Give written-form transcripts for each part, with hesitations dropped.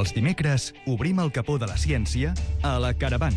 Els dimecres obrim el capó de la ciència a la Caravana.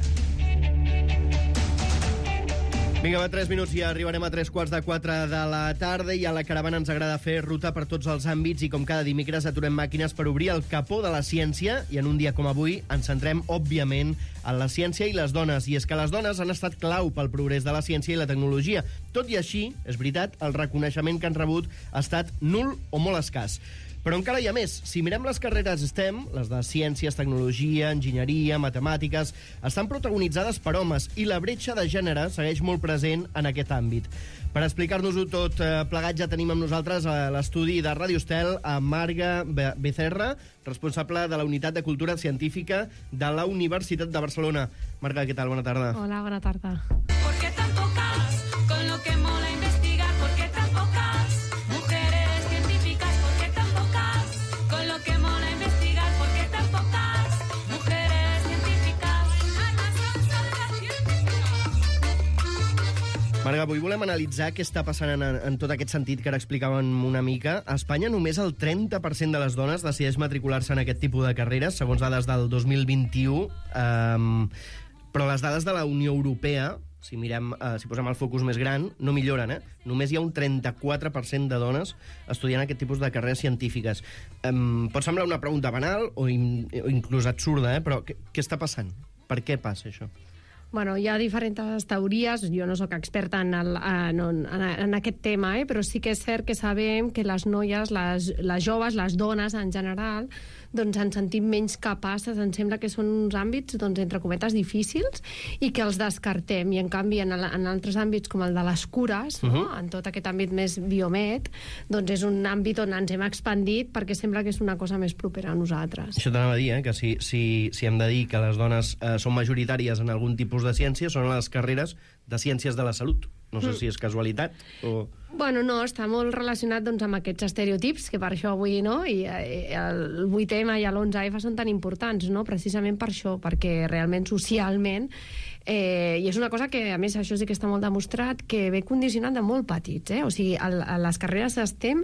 Vinga, va, 3 minuts i arribarem a 3:45 de la tarda i a la Caravana ens agrada fer ruta per tots els àmbits i com cada dimecres aturem màquines per obrir el capó de la ciència i en un dia com avui ens centrem, òbviament, en la ciència i les dones. I és que les dones han estat clau pel progrés de la ciència i la tecnologia. Tot i així, és veritat, el reconeixement que han rebut ha estat nul o molt escàs. Però encara hi ha més. Si mirem les carreres STEM, les de ciències, tecnologia, enginyeria, matemàtiques, estan protagonitzades per homes i la bretxa de gènere segueix molt present en aquest àmbit. Per explicar-nos-ho tot plegat ja tenim amb nosaltres a l'estudi de Ràdio Estel a Marga Becerra, responsable de la Unitat de Cultura Científica de la Universitat de Barcelona. Marga, què tal? Bona tarda. Hola, bona tarda. ¿Por qué tan pocas? Con lo que mola investigar, ¿por qué tan pocas? Mujeres científicas, ¿por qué tan pocas? Con lo que mola investigar, ¿por qué tan pocas? Mujeres científicas. Marga, avui volem analitzar què està passant en tot aquest sentit que ara explicàvem una mica. A Espanya només el 30% de les dones decideix matricular-se en aquest tipus de carreres, segons dades del 2021, però les dades de la Unió Europea, si mirem, si posem el focus més gran, no milloren, Només hi ha un 34% de dones estudiant aquest tipus de carreres científiques. Pot semblar una pregunta banal o inclús absurda, però què està passant? Per què passa això? Bueno, hi ha diferents teories, jo no sóc experta en aquest tema, però sí que és cert que sabem que les noies, les joves, les dones en general, doncs ens sentim menys capaces, ens sembla que són uns àmbits, doncs, entre cometes, difícils, i que els descartem, i en canvi en altres àmbits com el de les cures, no? En tot aquest àmbit més biomed, doncs és un àmbit on ens hem expandit perquè sembla que és una cosa més propera a nosaltres. Això t'anava a dir, que si hem de dir que les dones són majoritàries en algun tipus de ciència, són les carreres de ciències de la salut. No sé si és casualitat o... Bueno, no, està molt relacionat doncs, amb aquests estereotips, que per això avui, no? I el 8M i l'11F són tan importants, no? Precisament per això, perquè realment socialment, i és una cosa que, a més, això sí que està molt demostrat, que ve condicionat de molt petits, O sigui, les carreres STEM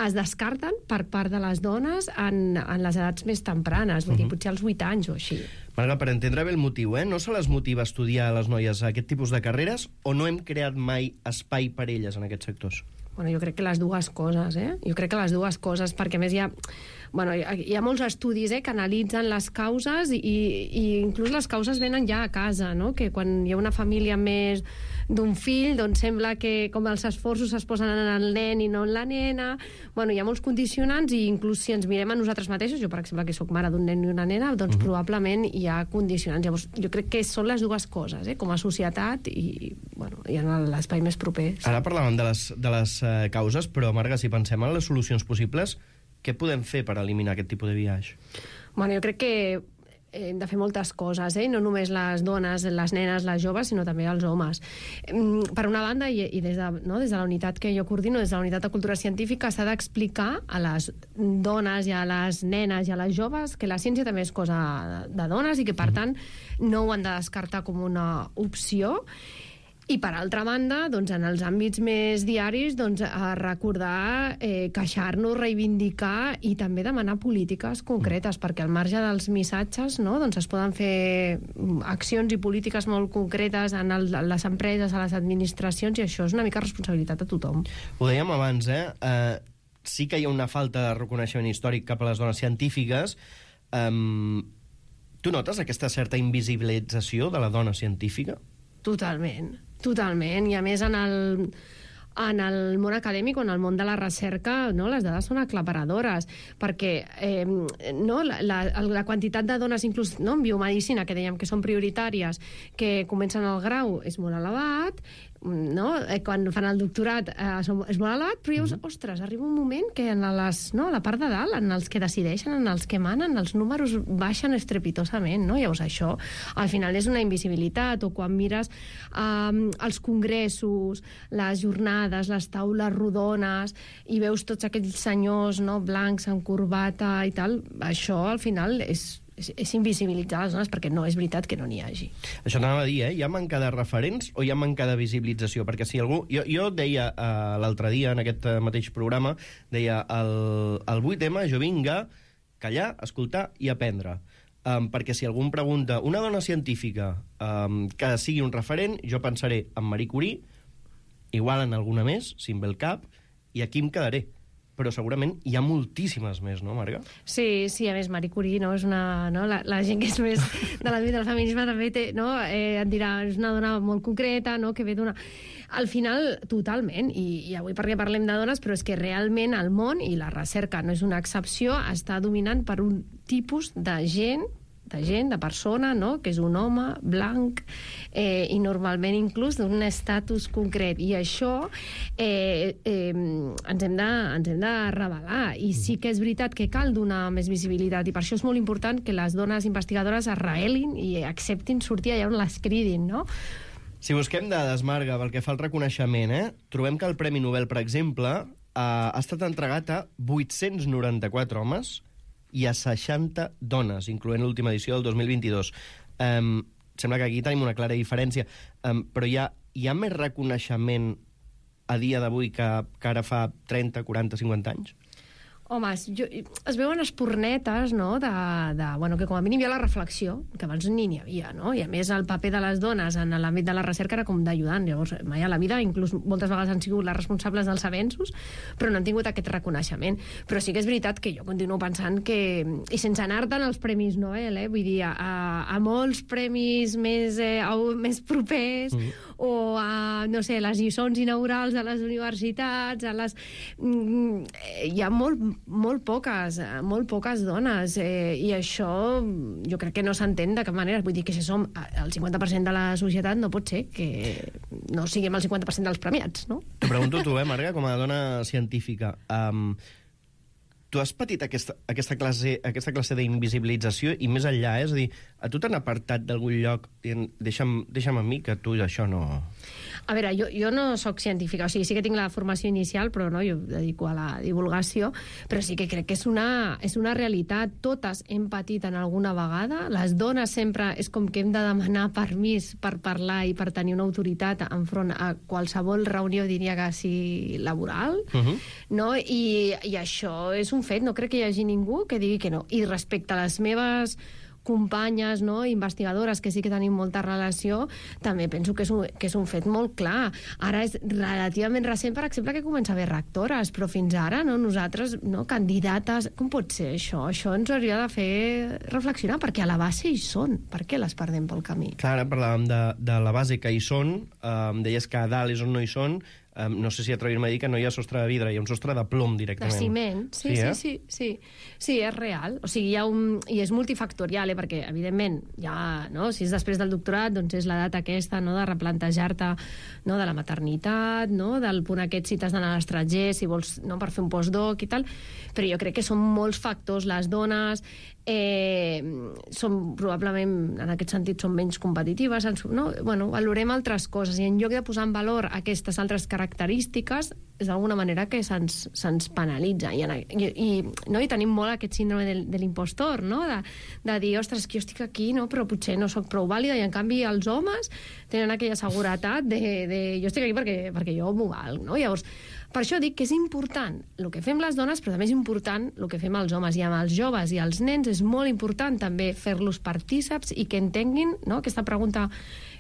es descarten per part de les dones en les edats més tempranes, vull dir, potser als 8 anys o així. Marga, per entendre bé el motiu, no se les motiva a estudiar a les noies aquest tipus de carreres o no hem creat mai espai per elles en aquests sectors? Bueno, jo crec que les dues coses, Jo crec que les dues coses, perquè a més hi ha molts estudis que analitzen les causes i inclús les causes venen ja a casa, no? Que quan hi ha una família més d'un fill, doncs sembla que com els esforços es posen en el nen i no en la nena. Bueno, hi ha molts condicionants i inclús si ens mirem a nosaltres mateixos, jo per exemple que sóc mare d'un nen i una nena, doncs probablement hi ha condicionants. Llavors jo crec que són les dues coses, com a societat i en l'espai més proper. Ara parlàvem de les causes, però Marga, si pensem en les solucions possibles, què podem fer per eliminar aquest tipus de biaix? Bueno, jo crec que hem de fer moltes coses, no només les dones, les nenes, les joves, sinó també els homes. Per una banda, i des de la unitat que jo coordino, des de la unitat de cultura científica, s'ha d'explicar a les dones i a les nenes i a les joves que la ciència també és cosa de dones i que, per tant, no ho han de descartar com una opció. I per altra banda, doncs, en els àmbits més diaris, doncs, recordar, queixar-nos, reivindicar i també demanar polítiques concretes, perquè al marge dels missatges, no, doncs es poden fer accions i polítiques molt concretes en les empreses, a les administracions, i això és una mica responsabilitat de tothom. Ho dèiem abans, sí que hi ha una falta de reconeixement històric cap a les dones científiques. Tu notes aquesta certa invisibilització de la dona científica? Totalment, i a més en el món acadèmic o en el món de la recerca, les dades són aclaparadores, perquè la quantitat de dones, inclús en biomedicina, que dèiem que són prioritàries, que comencen el grau, és molt elevat, quan fan el doctorat és molt elevat, però llavors, ostres, arriba un moment que a la part de dalt, en els que decideixen, en els que manen, els números baixen estrepitosament, llavors això al final és una invisibilitat. O quan mires els congressos, les jornades, les taules rodones, i veus tots aquells senyors blancs amb corbata i tal, això al final és invisibilitzar les dones, perquè no és veritat que no n'hi hagi. Això t'anava a dir, hi ha manca de referents o hi ha manca de visibilització? Perquè si algú... Jo deia l'altre dia en aquest mateix programa, deia el 8M jo vinga callar, escoltar i aprendre. Perquè si algú em pregunta una dona científica que sigui un referent, jo pensaré en Marie Curie, igual en alguna més, si em ve el cap, i aquí em quedaré. Però segurament hi ha moltíssimes més, no, Marga? Sí, a més, Marie Curie, no, és una, no, la gent que és més de l'àmbit del feminisme també té, no, et dirà, és una dona molt concreta, no, que ve d'una... Al final, totalment, i avui perquè parlem de dones, però és que realment el món, i la recerca no és una excepció, està dominant per un tipus de gent, de persona, no?, que és un home blanc i normalment inclús d'un estatus concret. I això ens hem de revelar. I sí que és veritat que cal donar més visibilitat i per això és molt important que les dones investigadores es revelin i acceptin sortir allà on les cridin, no? Si busquem dades, Marga, pel que fa al reconeixement, trobem que el Premi Nobel, per exemple, ha estat entregat a 894 homes i a 60 dones, incloent l'última edició del 2022. Sembla que aquí tenim una clara diferència, però hi ha més reconeixement a dia d'avui que ara fa 30, 40, 50 anys? Home, es veuen espurnetes, no?, bueno, que com a mínim hi ha la reflexió, que abans ni n'hi havia, no? I a més el paper de les dones en l'àmbit de la recerca era com d'ajudant. Llavors, mai a la vida, inclús moltes vegades han sigut les responsables dels avenços, però no han tingut aquest reconeixement. Però sí que és veritat que jo continuo pensant que, i sense anar-te'n als Premis Nobel, vull dir, a molts premis més propers, o a, no sé, les lliçons inaugurals a les universitats, hi ha molt poques dones, i això jo crec que no s'entén de cap manera. Vull dir que si som el 50% de la societat no pot ser que no siguem el 50% dels premiats, no? T'ho pregunto tu, Marga, com a dona científica. Tu has patit aquesta classe d'invisibilització i més enllà, és a dir, a tu t'han apartat d'algun lloc dient deixa'm a mi que tu això no... A veure, jo no sóc científica, o sigui, sí que tinc la formació inicial, però no, jo em dedico a la divulgació, però sí que crec que és una realitat. Totes hem patit en alguna vegada, les dones sempre és com que hem de demanar permís per parlar i per tenir una autoritat enfront a qualsevol reunió, diria que sigui laboral, no? I això és un fet, no crec que hi hagi ningú que digui que no. I respecte a les meves companyes, no, investigadores, que sí que tenim molta relació, també penso que és un fet molt clar. Ara és relativament recent, per exemple, que comença a haver rectores, però fins ara, no, nosaltres, no, candidates... Com pot ser això? Això ens hauria de fer reflexionar, perquè a la base hi són. Per què les perdem pel camí? Clar, ara parlàvem de la base que hi són, deies que a dalt és on no hi són, no sé si atrevirme a dir que no hi ha sostre de vidre, hi ha un sostre de plom directament. De ciment, sí, és real. O sigui, i és multifactorial, perquè, evidentment, ja, no, si és després del doctorat, doncs és l'edat aquesta, no, de replantejar-te, no, de la maternitat, no, del punt aquest si t'has d'anar a l'estranger, si vols, no, per fer un postdoc i tal, però jo crec que són molts factors. Les dones són probablement, en aquest sentit, són menys competitives, no? Bueno, valorem altres coses, i en lloc de posar en valor aquestes altres característiques, és d'alguna manera que se'ns penalitza. I tenim molt aquest síndrome de l'impostor, no? De dir, ostres, que jo estic aquí, no? Però potser no sóc prou vàlida, i en canvi els homes tenen aquella seguretat de jo estic aquí perquè jo m'ho valc, no? Llavors, per això dic que és important el que fem les dones, però també és important el que fem els homes. I amb els joves i els nens és molt important també fer-los partíceps i que entenguin, no?, aquesta pregunta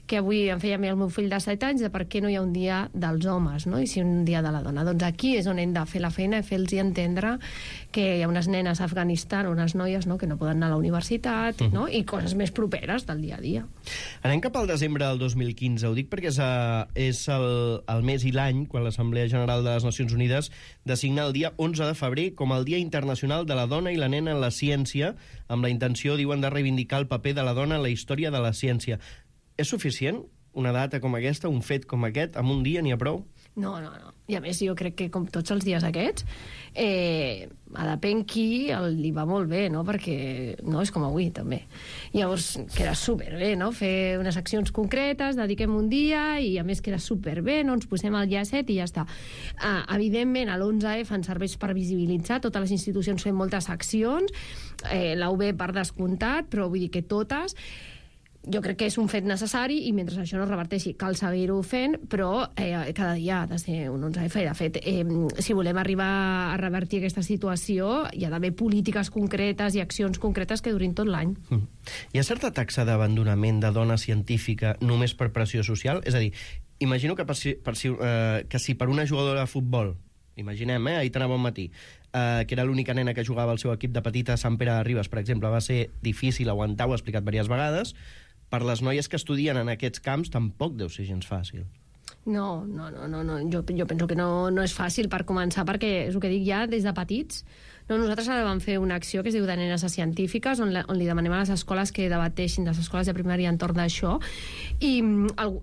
que avui em feia a mi el meu fill de 7 anys, de per què no hi ha un dia dels homes, no?, i si un dia de la dona. Doncs aquí és on hem de fer la feina i fer-los entendre que hi ha unes nenes a Afganistan, unes noies, no?, que no poden anar a la universitat, no?, i coses més properes del dia a dia. Anem cap al desembre del 2015. Ho dic perquè és el mes i l'any quan l'Assemblea General de les Nacions Unides designa el dia 11 de febrer com el Dia Internacional de la Dona i la Nena en la Ciència, amb la intenció, diuen, de reivindicar el paper de la dona en la història de la ciència. És suficient una data com aquesta, un fet com aquest, amb un dia n'hi ha prou? No. I a més, jo crec que, com tots els dies aquests, a depèn qui li va molt bé, no? Perquè no és com avui, també. Llavors, queda superbé, no?, fer unes accions concretes, dediquem un dia, i a més queda superbé, no?, ens posem al llacet i ja està. Evidentment, a l'11F ens serveix per visibilitzar, totes les institucions fem moltes accions, la UB per descomptat, però vull dir que totes... jo crec que és un fet necessari i mentre això no es reverteixi cal seguir-ho fent, però cada dia ha de ser un 11F. De fet, si volem arribar a revertir aquesta situació, hi ha d'haver polítiques concretes i accions concretes que durin tot l'any. Hi ha certa taxa d'abandonament de dona científica només per pressió social? És a dir, imagino que si per una jugadora de futbol, imaginem, ahir tan a bon matí, que era l'única nena que jugava al seu equip de petita, Sant Pere de Ribes, per exemple, va ser difícil aguantar, ho he explicat diverses vegades. Per les noies que estudien en aquests camps tampoc deu ser gens fàcil. No. Jo penso que no és fàcil per començar, perquè és el que dic ja des de petits. No, nosaltres ara vam fer una acció que es diu de nenes a científiques, on li demanem a les escoles que debateixin, les escoles de primària entorn d'això, i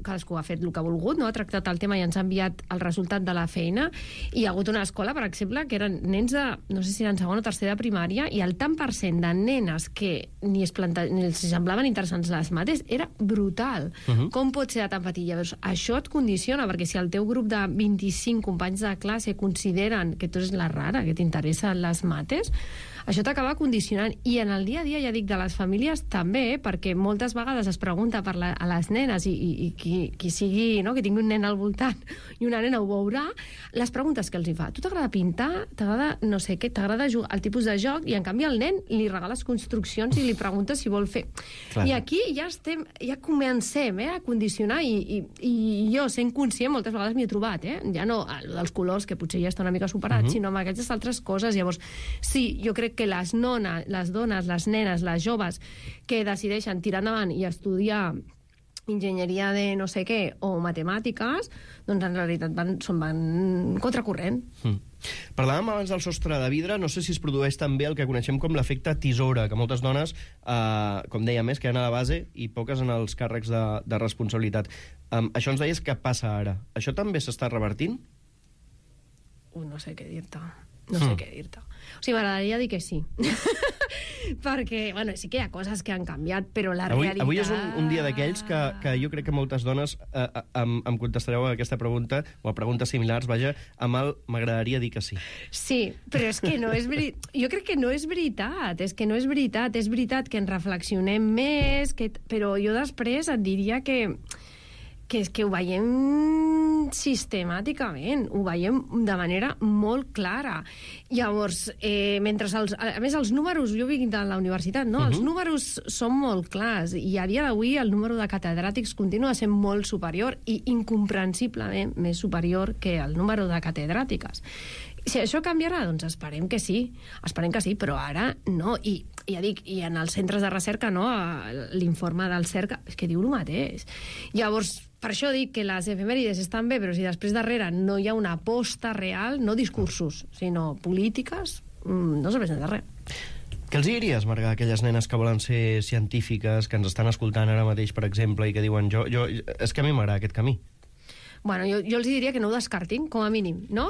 cadascú ha fet el que ha volgut, no? Ha tractat el tema i ens ha enviat el resultat de la feina, i hi ha hagut una escola, per exemple, que eren nens de, no sé si eren segon o tercer de primària, i el tant per cent de nenes que ni els semblaven interessants les mates era brutal. Com pot ser tan petit? Llavors, això et condiciona, perquè si el teu grup de 25 companys de classe consideren que tu ets la rara, que t'interessen les mates, això t'acaba condicionant. I en el dia a dia, ja dic, de les famílies també, perquè moltes vegades es pregunta a les nenes i qui sigui, no?, que tingui un nen al voltant i una nena ho veurà, les preguntes que els hi fa: tu t'agrada pintar? T'agrada no sé què? T'agrada jugar el tipus de joc? I en canvi al nen li regales construccions i li preguntes si vol fer. Clar. I aquí ja comencem a condicionar, i jo, sent conscient, moltes vegades m'hi he trobat, ja no dels colors, que potser ja està una mica superat, sinó amb aquestes altres coses. Llavors, sí, jo crec que les dones, les nenes, les joves que decideixen tirar endavant i estudiar enginyeria de no sé què o matemàtiques, doncs en realitat van contracorrent. Parlàvem abans del sostre de vidre, no sé si es produeix també el que coneixem com l'efecte tisora, que moltes dones, com dèiem, queden a la base i poques en els càrrecs de responsabilitat. Això ens deies que passa ara. Això també s'està revertint? No sé què dir-te. No sé què dir-te. O sigui, m'agradaria dir que sí. Perquè, bueno, sí que hi ha coses que han canviat, però la realitat... Avui és un dia d'aquells que jo crec que moltes dones em contestareu a aquesta pregunta, o a preguntes similars, vaja, amb el m'agradaria dir que sí. Sí, però és que no és veritat. Jo crec que no és veritat. És que no és veritat. És veritat que en reflexionem més, però jo després et diria que ho veiem sistemàticament, ho veiem de manera molt clara. Llavors, mentre a més els números, jo vinc de la universitat, no? Els números són molt clars, i a dia d'avui el número de catedràtics continua sent molt superior i incomprensiblement més superior que el número de catedràtiques. Si això canviarà, doncs esperem que sí, però ara no. I ja dic, i en els centres de recerca, no, l'informe del CERCA, és que diu el mateix. Llavors, per això dic que les efemèrides estan bé, però si després darrere no hi ha una aposta real, no discursos, sinó polítiques, no serveix de res. Què els diries, Marga, a aquelles nenes que volen ser científiques, que ens estan escoltant ara mateix, per exemple, i que diuen, és que a mi m'agrada aquest camí? Bueno, jo els diria que no ho descartin, com a mínim, no?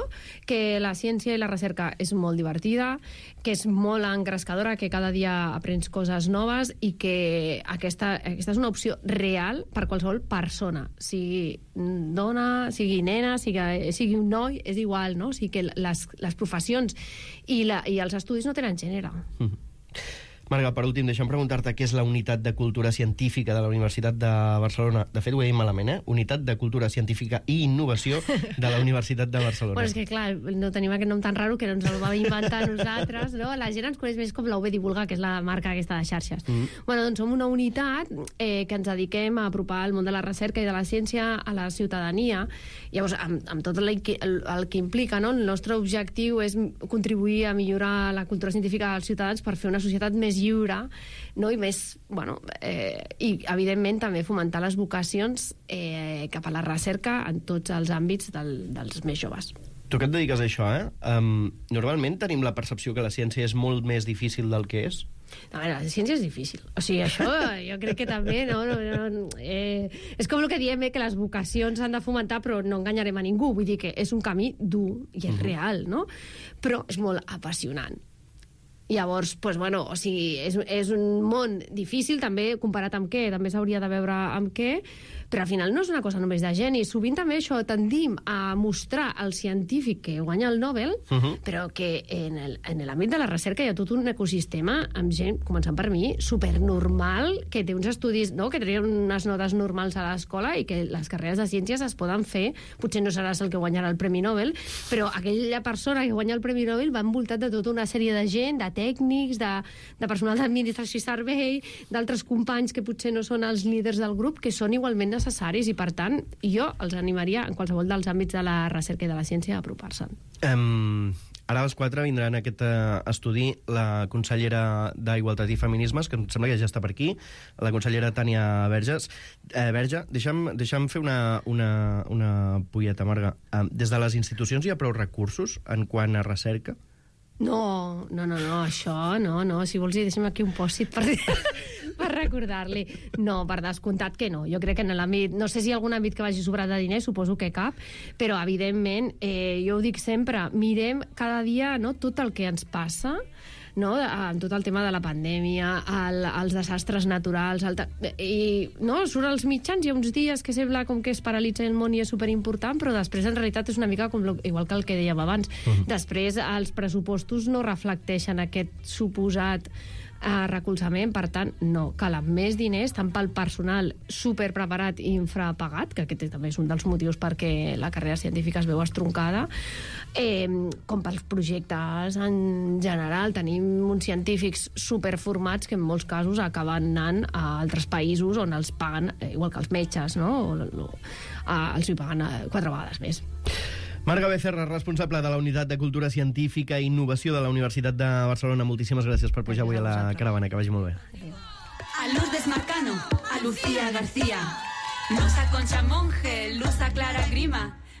Que la ciència i la recerca és molt divertida, que és molt engrescadora, que cada dia aprens coses noves i que aquesta és una opció real per qualsevol persona, sigui dona, sigui nena, sigui un noi, és igual, no? O sigui que les professions i els estudis no tenen gènere. Marga, per últim, deixa'm preguntar-te què és la Unitat de Cultura Científica de la Universitat de Barcelona. De fet, ho he dit malament, Unitat de Cultura Científica i Innovació de la Universitat de Barcelona. Bueno, és que, clar, no tenim aquest nom tan raro que no ens el vam inventar nosaltres, no? La gent ens coneix més com la UB Divulga, que és la marca aquesta de xarxes. Bueno, doncs som una unitat que ens dediquem a apropar el món de la recerca i de la ciència a la ciutadania. Llavors, amb tot el que implica, no? El nostre objectiu és contribuir a millorar la cultura científica dels ciutadans per fer una societat més lliure, no? I més, bueno, i evidentment també fomentar les vocacions cap a la recerca en tots els àmbits dels més joves. Tu que et dediques a això, normalment tenim la percepció que la ciència és molt més difícil del que és? A veure, la ciència és difícil. O sigui, això jo crec que també... és com el que diem, que les vocacions s'han de fomentar, però no enganyarem a ningú. Vull dir que és un camí dur i és real, no? Però és molt apassionant. Llavors, doncs, bueno, o sigui, és un món difícil, també comparat amb què, també s'hauria de veure amb què, Però al final no és una cosa només de geni. Sovint també això tendim a mostrar el científic que guanya el Nobel, però que en l'àmbit de la recerca hi ha tot un ecosistema amb gent, començant per mi, supernormal, que té uns estudis, no?, que treien unes notes normals a l'escola i que les carreres de ciències es poden fer. Potser no seràs el que guanyarà el Premi Nobel, però aquella persona que guanya el Premi Nobel va envoltat de tota una sèrie de gent, de tècnics, de personal d'administració i servei, d'altres companys que potser no són els líders del grup, que són igualment necessaris, i per tant jo els animaria en qualsevol dels àmbits de la recerca i de la ciència a apropar-se'n. Ara a les 4 vindrà en aquest estudi la consellera d'Igualtat i Feminismes, que em sembla que ja està per aquí, la consellera Tània Verge. Deixa'm fer una polleta, Marga. Des de les institucions hi ha prou recursos en quant a recerca? No, això no. Si vols, deixa'm aquí un pòsit per recordar-li. No, per descomptat que no. Jo crec que en l'àmbit... No sé si hi ha algun àmbit que vagi sobrat de diners, suposo que cap, però, evidentment, jo ho dic sempre, mirem cada dia, no, tot el que ens passa, no, amb tot el tema de la pandèmia, els desastres naturals, i no, surt als mitjans, hi ha uns dies que sembla com que es paralitza el món i és superimportant, però després en realitat és una mica igual que el que dèiem abans. Després els pressupostos no reflecteixen aquest suposat recolzament, per tant, no. Calen més diners, tant pel personal superpreparat i infrapagat, que aquest també és un dels motius perquè la carrera científica es veu estroncada, com pels projectes en general. Tenim uns científics superformats que en molts casos acaben anant a altres països on els paguen, igual que els metges, no? Els hi paguen 4 vegades més. Marga Becerra, responsable de la Unitat de Cultura Científica i Innovació de la Universitat de Barcelona. Moltíssimes gràcies per pujar avui a la caravana. Que vagi molt bé. A Lourdes Marcano, a Lucía García, Luz a Concha Monge, Luz a Clara Grima,